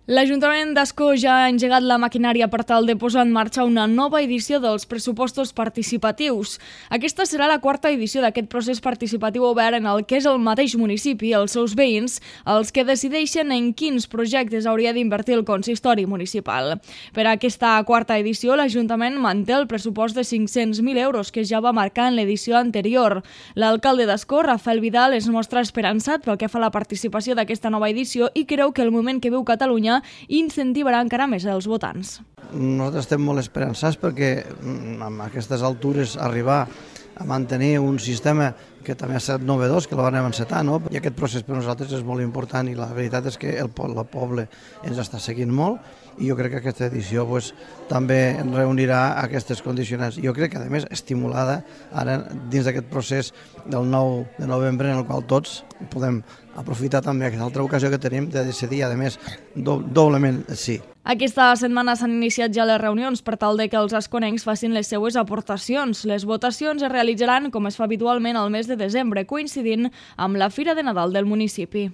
L'Ajuntament d'Ascó ja ha engegat la maquinària per tal de posar en marxa una nova edició dels pressupostos participatius. Aquesta serà la quarta edició d'aquest procés participatiu obert en el que és el mateix municipi, els seus veïns, els que decideixen en quins projectes hauria d'invertir el consistori municipal. Per a aquesta quarta edició, l'Ajuntament manté el pressupost de 500.000 euros que ja va marcar en l'edició anterior. L'alcalde d'Ascó, Rafael Vidal, es mostra esperançat pel que fa a la participació d'aquesta nova edició i creu que el moment que viu Catalunya incentivarà encara més els votants. Nosaltres estem molt esperançats perquè amb aquestes altures arribar a mantenir un sistema que també ha estat novedós, que el vam encetar, no? I aquest procés per nosaltres és molt important i la veritat és que el poble ens està seguint molt i jo crec que aquesta edició també reunirà aquestes condicionants. Jo crec que, a més, estimulada ara dins d'aquest procés del 9 de novembre en el qual tots podem aprofitar també aquesta altra ocasió que tenim de decidir, a més, doblement sí. Aquesta setmana s'han iniciat ja les reunions per tal de que els asconencs facin les seues aportacions. Les votacions es realitzaran, com es fa habitualment, al mes de desembre, coincidint amb la Fira de Nadal del municipi.